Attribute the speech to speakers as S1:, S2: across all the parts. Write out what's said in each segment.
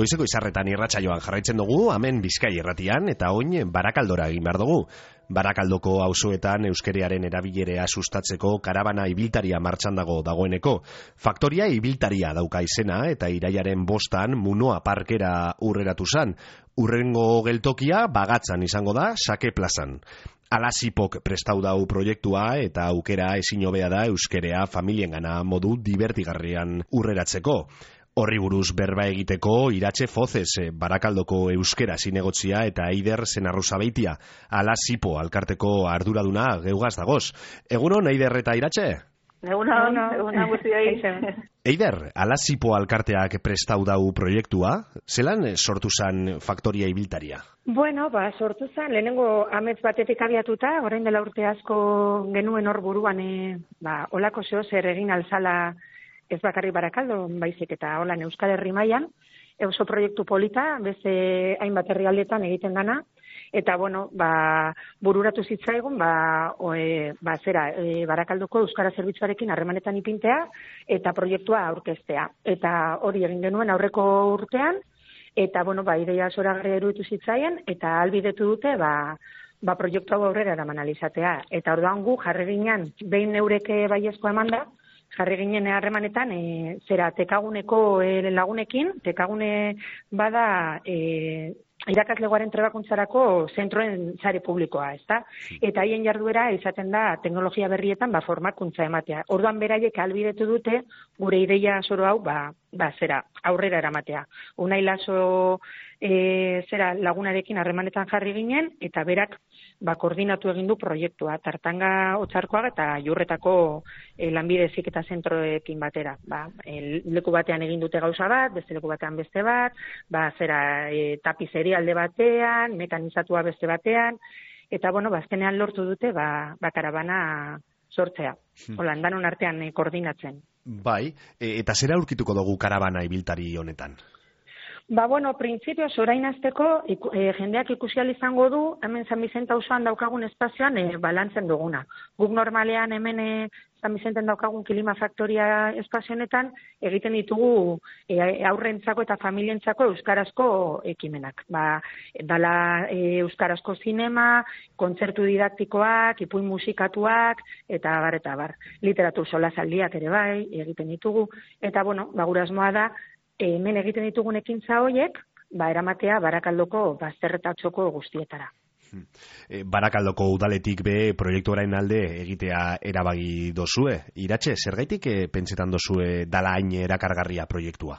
S1: Goizeko izarretan irratsaioan jarraitzen dugu, hemen Bizkai irratian, eta oin Barakaldora egin behar dugu. Barakaldoko auzoetan euskerearen erabilerea sustatzeko karabana ibiltaria martxan dagoeneko. Faktoria ibiltaria dauka izena eta iraiaren 5 Munoa parkera urreratu zan. Urrengo geltokia Bagatzan izango da, Sake plazan. Alasipok prestau dau proiektua eta aukera ezin hobea da euskerea familiengana modu divertigarrian urreratzeko. Horri buruz berba egiteko Iratxe Fozez, Barakaldoko euskera zinegotzia eta Eider Zenarruzabeitia, Alasipo alkarteko arduraduna geugaz dagoz. Egunon, Eider eta Iratxe?
S2: Egunon guztioi.
S1: Eider, Alasipo alkarteak prestau dau proiektua, zelan sortu zan faktoria ibiltaria?
S2: Bueno, sortu zan, lehenengo amets batetik abiatuta, orain dela urte asko genuen hor buruan, olako zeo zer egin alzala ez bakarrik Barakaldo, baizik eta holan Euskal Herri mailan, oso proiektu polita, beste hainbat herrialdetan egiten dana, eta bururatu zitzaigun, Barakaldoko Euskara Zerbitzuarekin harremanetan ipintea, eta proiektua aurkeztea. Eta hori egin genuen aurreko urtean, eta ideia zoragarria iruditu zitzaien, eta ahalbidetu dute, proiektu hau aurrera eraman alizatea. Eta orduan gu jarri ginen, behin neureke baiezko emanda, jarri ginen harremanetan, tekaguneko lagunekin, tekagune bada irakaslegoaren trebakuntzarako zentroen sare publikoa, ezta? Eta haien jarduera izaten da teknologia berrietan formakuntza ematea. Orduan beraiek ahalbidetu dute gure ideia zoro hau aurrera eramatea. Unai Laso lagunarekin harremanetan jarri ginen eta berak koordinatu egin du proiektua, Tartanga Otzarkoaga eta Jurretako lanbide heziketa zentroekin batera. Leku batean egin dute gauza bat, beste leku batean beste bat, tapizeria alde batean, mekanizatua beste batean, eta azkenean lortu dute karabana sortzea. Holan, danon artean koordinatzen.
S1: Bai, eta zera aurkituko dugu karabana ibiltari honetan?
S2: Printzipioz orain azteko jendeak ikusial izango du, hemen San Bizente auzoan daukagun espazioan balantzen duguna. Guk normalean hemen San Bizenten daukagun Kilima Faktoria espazionetan egiten ditugu aurrentzako eta familientzako euskarazko ekimenak. Dala euskarazko zinema, kontzertu didaktikoak, ipuin musikatuak, eta bar. Literatur solasaldiak ere bai, egiten ditugu. Eta gure asmoa da, hemen egiten ditugun ekintza horiek, eramatea Barakaldoko bazterretatxoko guztietara.
S1: Barakaldoko udaletik be proiektuaren alde egitea erabagi dozue. Iratxe, zergaitik pentsetan dozue dala hain erakargarria proiektua?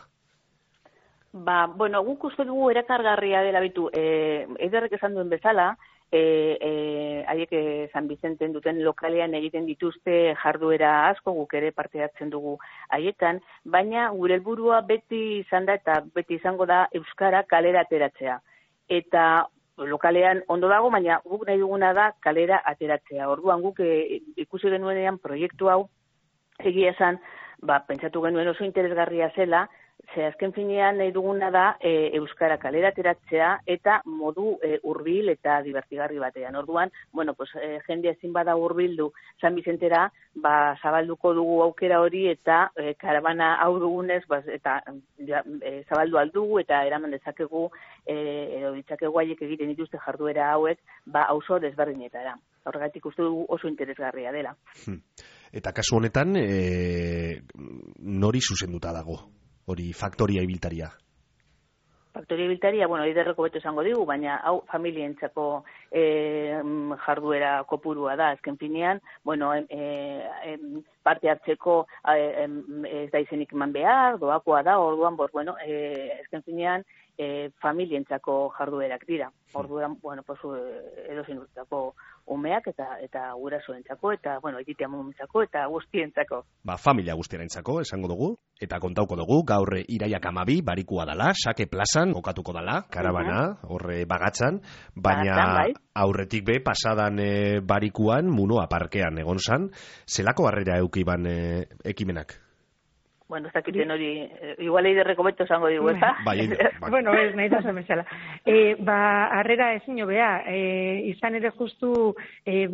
S3: Guk uste dugu erakargarria dela bitu. Eiderrek esan duen bezala, haiek San Bizenten duten lokalean egiten dituzte jarduera asko, guk ere parte hartzen dugu haietan, baina gure helburua beti izan da eta beti izango da euskara kalera ateratzea. Eta lokalean ondo dago, baina guk nahi duguna da kalera ateratzea. Orduan guk ikusi genuenean proiektu hau egia esan, pentsatu genuen oso interesgarria zela, ze azken finean nahi duguna da euskara kalera ateratzea eta modu hurbil eta divertigarri batean. Orduan, jende ezin bada hurbildu San Bizentera, zabalduko dugu aukera hori eta karabana hau dugunez, eta zabaldu aldugu eta eraman dezakegu edo ditzakegu haiek egiten dituzte jarduera hauek, auzo desberdinetara. Horregatik uste dugu oso interesgarria dela.
S1: Eta kasu honetan, nori zuzenduta dago? Hori faktoria ibiltaria?
S3: Faktoria ibiltaria, Eiderreko beto esango digu, baina hau familientzako jarduera kopurua da, azken finean, parte hartzeko ez da izenik eman behar, doakoa da, orduan, azken finean, familientzako jarduerak dira. Orduan, edozein urtako umeak eta gurasoentzako eta egitea momentzako eta guztientzako.
S1: Familia guztiarentzako esango dugu eta kontauko dugu gaur iraiak 12 barikua dala, Sake plazan kokatuko dala, karabana, horre Bagatzan, baina aurretik be pasadan barikuan Munoa parkean egon zan, zelako harrera eukiban ekimenak?
S3: Ez dakiten hori, igual Eiderreko beto esango digu, ez da?
S2: Ez nahi da zemezala. Harrera ezin hobea, izan ere justu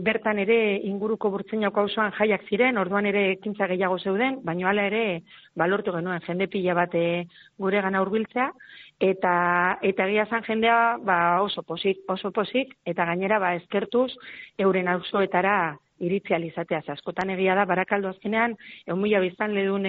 S2: bertan ere inguruko Burtzenako auzoan jaiak ziren, orduan ere ekintza gehiago zeuden, baina hala ere balortu genuen jende pila bat guregana hurbiltzea, Eta egia esan jendea oso pozik, eta gainera eskertuz euren auzoetara iritzi alizatea. Askotan egia da, Barakaldo azkenean, 1.000 biztanledun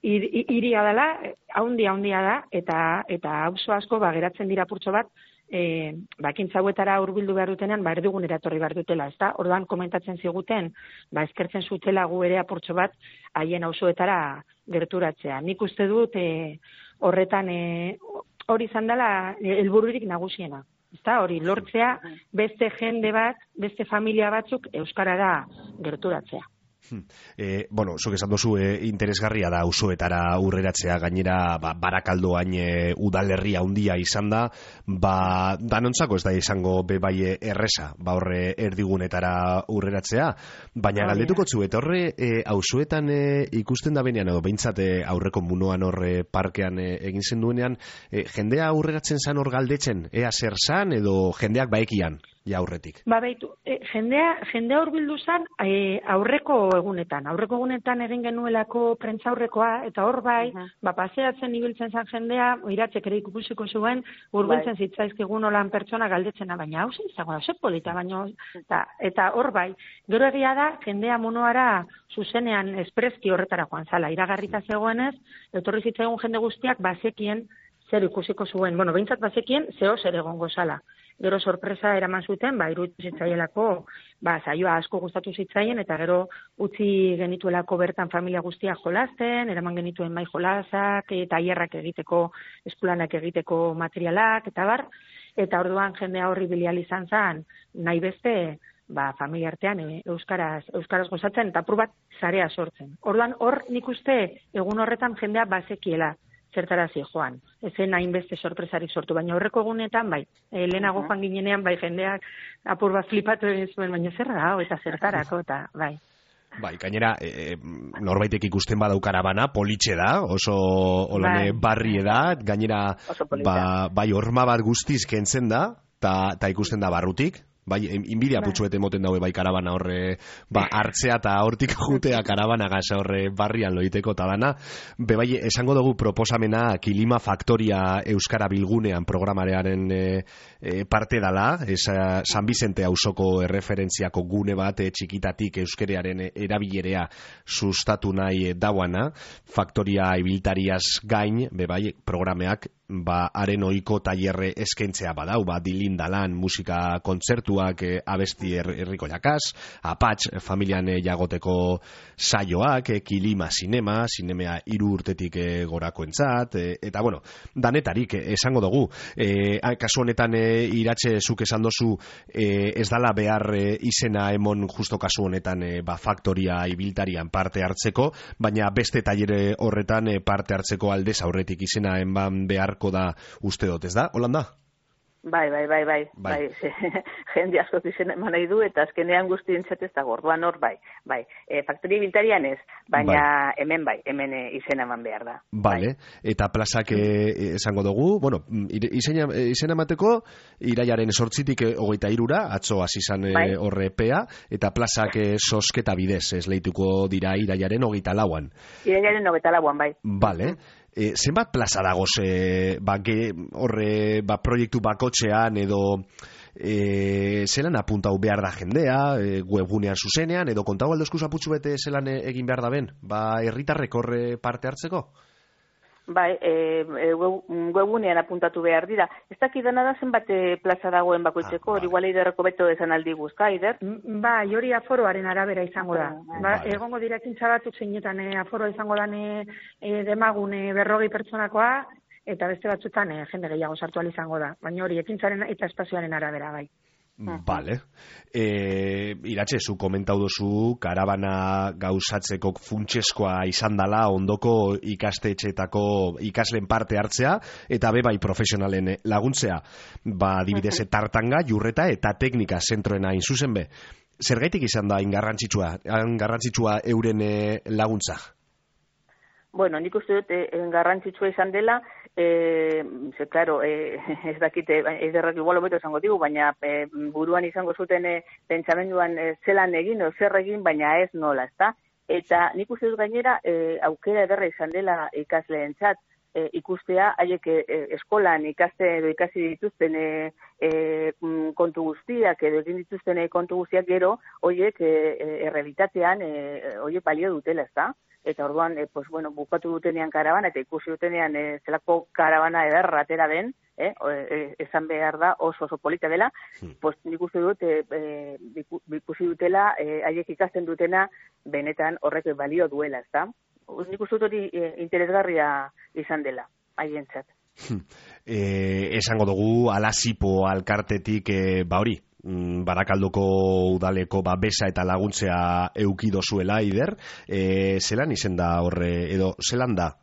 S2: hiria dela, haundia da, eta auzo asko geratzen dira purtso bat, ekintza hauetara hurbildu behar dutenean, erdigunera etorri behar dutela, ezta? Orduan komentatzen ziguten, eskertzen zutela gu ere apurtxo bat haien auzoetara gerturatzea. Nik uste dut horretan hori izan dela helbururik nagusiena. Ezta? Hori lortzea beste jende bat, beste familia batzuk euskarara gerturatzea.
S1: Zuk esan duzu interesgarria da auzoetara urreratzea, gainera Barakaldoan udalerria handia izan da, danontzako ez da izango bebai erresa, horre erdigunetara urreratzea, baina galdetuko zu, eta horre auzoetan ikusten da benean, edo behintzat aurreko munoan horre parkean egin zen duenean, jendea urreratzen zan hor galdetzen, ea zer zan, edo jendeak baekian? Ja, aurretik.
S2: Beitu, jendea hurbildu zen aurreko egunetan egin genuelako prentza aurrekoa, eta hor paseatzen ibiltzen zen jendea, iratzek ere ikusiko zuen, hurbiltzen zitzaizkigun olan pertsona galdetzena, baina hau polita, baina, eta hor gero egia da, jendea monoara zuzenean espreski horretara joan zala, iragarrita zegoenez, etorri zitzaigun jende guztiak bazekien zer ikusiko zuen, behintzat bazekien zeo zer egongo zala. Gero sorpresa eraman zuten, iruditu zitzaielako, saioa asko gustatu zitzaien, eta gero utzi genituelako bertan familia guztiak jolasten, eraman genituen mai jolasak, tailerrak egiteko, eskulanak egiteko materialak, eta orduan jendea horri bilial izan zen, nahi beste, familia artean euskaraz gozatzen, eta apur bat sarea sortzen. Orduan hor nik uste egun horretan jendea bazekiela zertarazi joan. Ezen hainbeste sorpresarik sortu, baina horreko egunetan, lehenago joan ginenean, jendeak apur bat flipatu zuen, baina zer da, eta zertarako, eta
S1: gainera, norbaitek ikusten badau karabana, politxe da, oso barri da, gainera, horma bat guztiz kentzen da, eta ikusten da barrutik, inbidia putxuete moten daue karabana horre hartzea eta hortik jutea karabana gaza horre barrian loiteko talana. Esango dugu proposamena Kilima Faktoria Euskara Bilgunean programarearen parte dala, San Bizente auzoko erreferentziako gune bat txikitatik euskerearen erabilerea sustatu nahi dauana, Faktoria ibiltariaz gain, programeak haren ohiko tailerre eskentzea badau, dilindalan musika kontzertuak, abesti herriko jakaz, apatx familian jagoteko saioak, Kilima Zinemea 3 urtetik gorakoentzat, eta danetarik esango dugu. Kasu honetan iratxe zuk esan dozu ez dala behar izena emon justo kasu honetan Faktoria ibiltarian parte hartzeko, baina beste tailere horretan parte hartzeko aldez aurretik izena eman beharko da uste dut, ez da? Holanda?
S3: Bai. Jende asko izena eman nahi du, eta azkenean guztientzat ez dago, orduan hor, Faktoria ibiltarian ez, baina hemen izena eman behar da.
S1: Bale, eta plazak esango dugu, izena emateko, iraiaren 8-tik 23, atzo hasi izan horre epea, eta plazak sosketa bidez, esleituko dira iraiaren 24an.
S3: Iraiaren 24an, bai.
S1: Bale. Zenbat plaza dagoz horre proiektu bakotxean edo zelan apuntau behar da jendea, webgunean zuzenean, edo kontau aldozkuz aputxu bete zelan egin behar da ben, herritarrek horre parte hartzeko?
S3: Webgunean apuntatu behar dira. Ez dakidana da zenbat plaza dagoen bakoitzeko, hori igual eiderreko beto esan aldi guzka, Eider?
S2: Hori aforoaren arabera izango da. Egongo direkintza batzuk zeinetan aforoa izango da demagun 40 pertsonakoa, eta beste batzutan jende gehiago sartu izango da. Baina hori ekintzaren eta espazioaren arabera, bai.
S1: Bale. Iratxe, zu komentau duzu karabana gauzatzeko funtseskoa izan dala ondoko ikastetxeetako ikasleen parte hartzea eta bai profesionalen laguntzea. Adibidez, tartanga, jurreta eta teknika zentroena zuzen be. Zergaitik izan da garrantzitsua euren laguntza?
S3: Nik uste dut garrantzitsua izan dela, claro, ez dakite, eiderrak igual hobeto esango digu, baina buruan izango zuten pentsamenduan zelan egin, zer egin, baina ez nola, ezta? Eta nik uste dut gainera aukera ederra izan dela ikasleentzat, ikustea, haiek eskolan ikasi dituzten kontu guztiak, edo egin dituzten kontu guztiak gero, horiek errealitatean horiek balio dutela, ez da? Eta orduan, bukatu dutenean karabana, eta ikusi dutenean zelako karabana ederra atera den, esan behar da oso polita dela, nik uste dut, ikusi dutela, haiek ikasten dutena, benetan horrek balio duela, ez da? Nik uste dut hori interesgarria izan dela, haientzat.
S1: Esango dugu, Alasipo alkartetik, hori, Barakaldoko udaleko besa eta laguntzea eukido zuela, Eider, zelan izen da horre, edo zelan da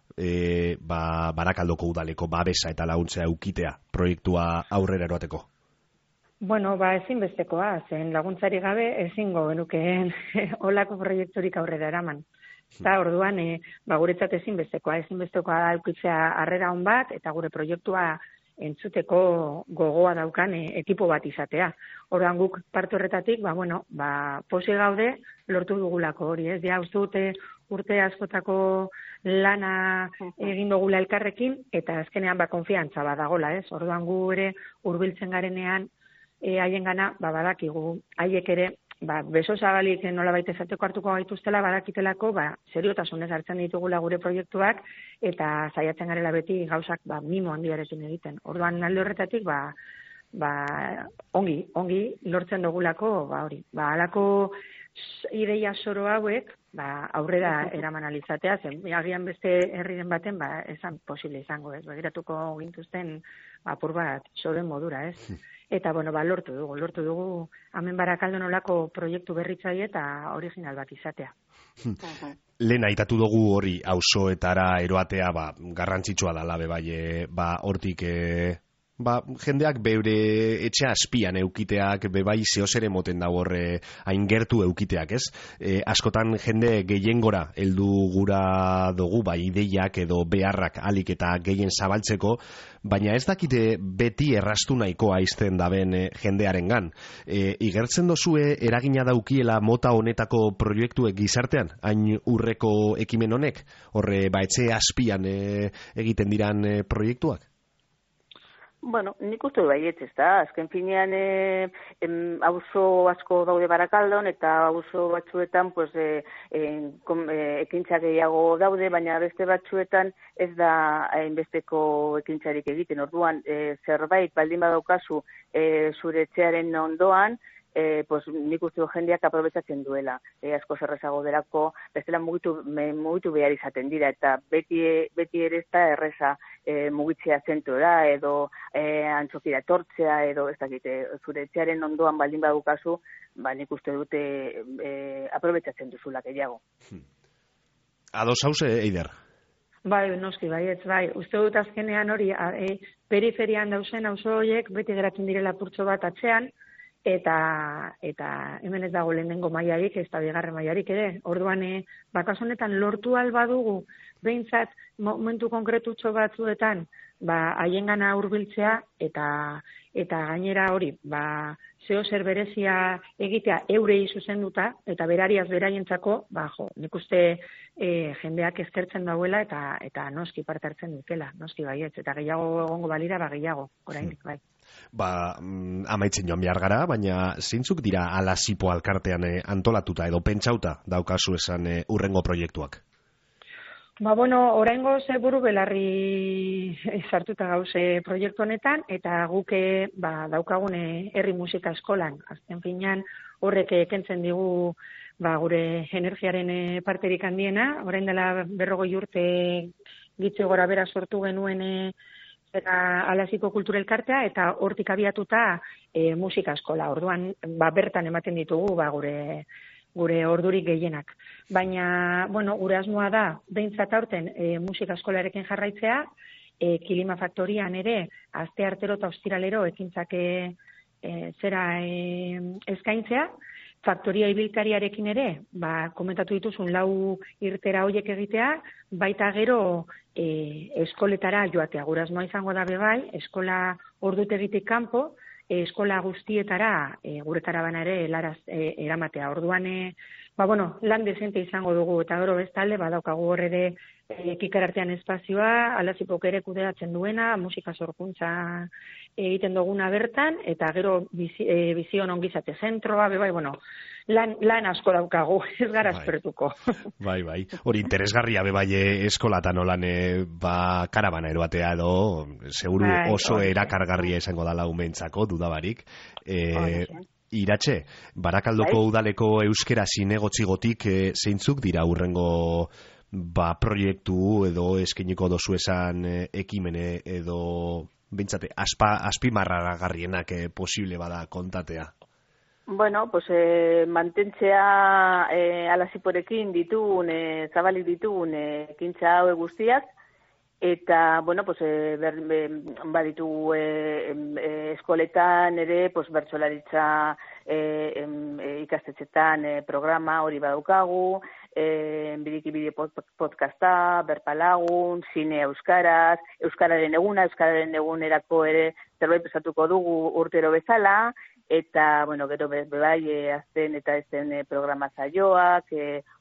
S1: Barakaldoko udaleko besa eta laguntzea eukitea proiektua aurrera eroateko?
S2: Bueno, ezinbestekoa, zen laguntzari gabe ezingo genukeen olako proiekturik aurrera eraman. Eta orduan, guretzat ezinbestekoa da eukitzea harrera on bat, eta gure proiektua entzuteko gogoa daukan ekipo bat izatea. Orduan guk parte horretatik, posi gaude lortu dugulako hori, ez? Ja, uste dute urte askotako lana egin dugula elkarrekin, eta azkenean konfiantza badagola, ez? Orduan gu ere hurbiltzen garenean haiengana, badakigu, haiek ere, beso zabalik nolabait esateko hartuko gaituztela, badakitelako, seriotasunez hartzen ditugula gure proiektuak, eta saiatzen garela beti gauzak mimo handiarekin egiten. Orduan alde horretatik, ongi lortzen dugulako, hori. Halako ideia zoro hauek, aurrera eraman alizatea, zen, agian beste herriren baten, esan posible izango, ez? Begiratuko gintuzten apur bat zoren modura, ez? Eta, lortu dugu, hemen Barakaldon olako proiektu berritzaile eta original bat izatea.
S1: Lehen aitatu dugu hori auzoetara eroatea, garrantzitsua da labe hortik, jendeak beure etxea azpian eukiteak, bebai zehosere moten dago horre hain gertu eukiteak, ez? Askotan jende gehiengora heldu gura dugu, ideiak edo beharrak alik eta gehien zabaltzeko, baina ez dakite beti erraztu nahikoa izten daben jendearengan. Igertzen dozue eragina daukiela mota honetako proiektuek gizartean, hain urreko ekimen honek, horre etxe azpian egiten diran proiektuak?
S3: Nik uste baietz, ez da. Azken finean auzo asko daude Barakaldon, eta auzo batzuetan ekintza gehiago daude, baina beste batzuetan ez da hainbesteko ekintzarik egiten. Orduan, zerbait baldin badaukazu zure etxearen ondoan, nik uste jendeak aprobetxatzen duela. Asko zerrezago delako, bestela mugitu behar izaten dira, eta beti ere ez da erreza mugitzea zentura, edo antzokira tortzea, edo ez dakite, zure etxearen ondoan baldin badukazu, nik uste dute aprobetxatzen duzula gehiago.
S1: Ados hauze, Eider?
S2: Noski, uste dut azkenean hori, periferian dauzen auzo horiek beti geratzen direla purtso bat atzean, eta hemen ez dago lehenengo mailarik, ez da bigarren mailarik ere. Orduan, bakasonetan lortu albadugu, behintzat momentu konkretutxo batzuetan, haiengana hurbiltzea, eta gainera hori, zeo zer berezia egitea eurei zuzenduta, eta berariaz beraientzako, nik uste jendeak eskertzen dauela, eta noski parte hartzen dutela, noski baietz, eta gehiago egongo balira, gehiago, oraindik bai.
S1: Amaitzen joan behar gara, baina zeintzuk dira Alasipo alkartean antolatuta edo pentsauta daukazu esan urrengo proiektuak?
S2: Oraingo buru belarri sartuta gauze proiektu honetan, eta guke daukagune herri musika eskolan. Azken finean horrek kentzen digu gure energiaren parterik handiena. Orain dela 40 urte gitze gora bera sortu genuen Alasiko kultura elkartea, eta hortik abiatuta musika eskola. Orduan, bertan ematen ditugu gure ordurik gehienak. Baina, gure asmoa da, behintzat aurten musika eskolarekin jarraitzea, Kilima Faktorian ere, aste artero eta ostiralero ekintzak eskaintzea, Faktoria ibiltariarekin ere, komentatu dituzun 4 irtera hoiek egitea, baita gero eskoletara joatea. Gure asmoa izango da bai, eskola ordutegitik kanpo, eskola guztietara gure karabana ere eramatea. Orduan lan dezente izango dugu, eta gero bestalde, badaukagu hor ere kikarartean espazioa, Alazipok ere kudeatzen duena, musika sorkuntza egiten duguna bertan, eta gero bizion ongizate zentroa, lan asko daukagu, ez gara espertuko.
S1: Bai. Hori interesgarria eskolatan olan karabana eroatea edo, seguru oso erakargarria izango dala umentzako, dudabarik. Iratxe, Barakaldoko udaleko euskera zinegotzigotik zeintzuk dira urrengo proiektu edo eskeniko dozu esan ekimene edo bintzate, azpimarragarrienak posible bada kontatea?
S3: Mantentzea Alaziporekin ditugun, zabalik ditugun ekintza hau guztiak, eta, baditu eskoletan ere, bertsolaritza ikastetxetan programa hori badaukagu, Biriki bideo podcasta, berpalagun, zine euskaraz, euskararen egunerako ere zerbait pesatuko dugu urtero bezala, eta, gero azten eta ezen programa zaioak,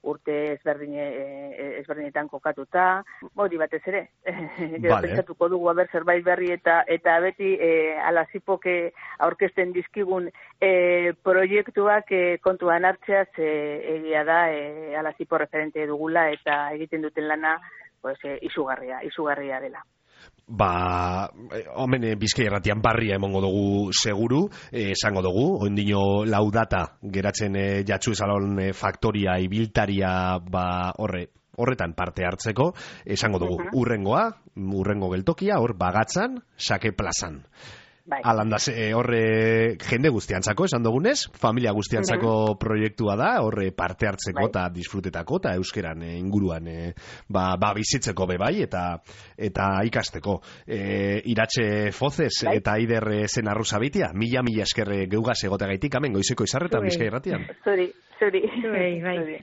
S3: urte ezberdinetan kokatuta, hori batez ere. Gero pentsatuko dugu zerbait berri eta beti Alazipok aurkezten dizkigun proiektuak kontuan hartzeaz egia da Alazipo referente dugula eta egiten duten lana izugarria dela.
S1: Homen Bizkaia Irratian barria emongo dugu seguru, esango dugu, oindino laudata geratzen jatsu esalon faktoria ibiltaria horretan parte hartzeko, esango dugu urrengo geltokia, hor Bagatzan, Sake plazan. Alandaz, horre jende guztiantzako, esan dugunez, familia guztiantzako proiektua da, horre parte hartzeko eta disfrutetako, eta euskeran inguruan bizitzeko bebai, eta ikasteko. Iratxe Fozez eta Aider Zenarruzabitia, mila eskerre geugaz egotegaitik, hemen goizeko izarretan Bizkaia Irratian.
S3: Zuri.
S2: Bai.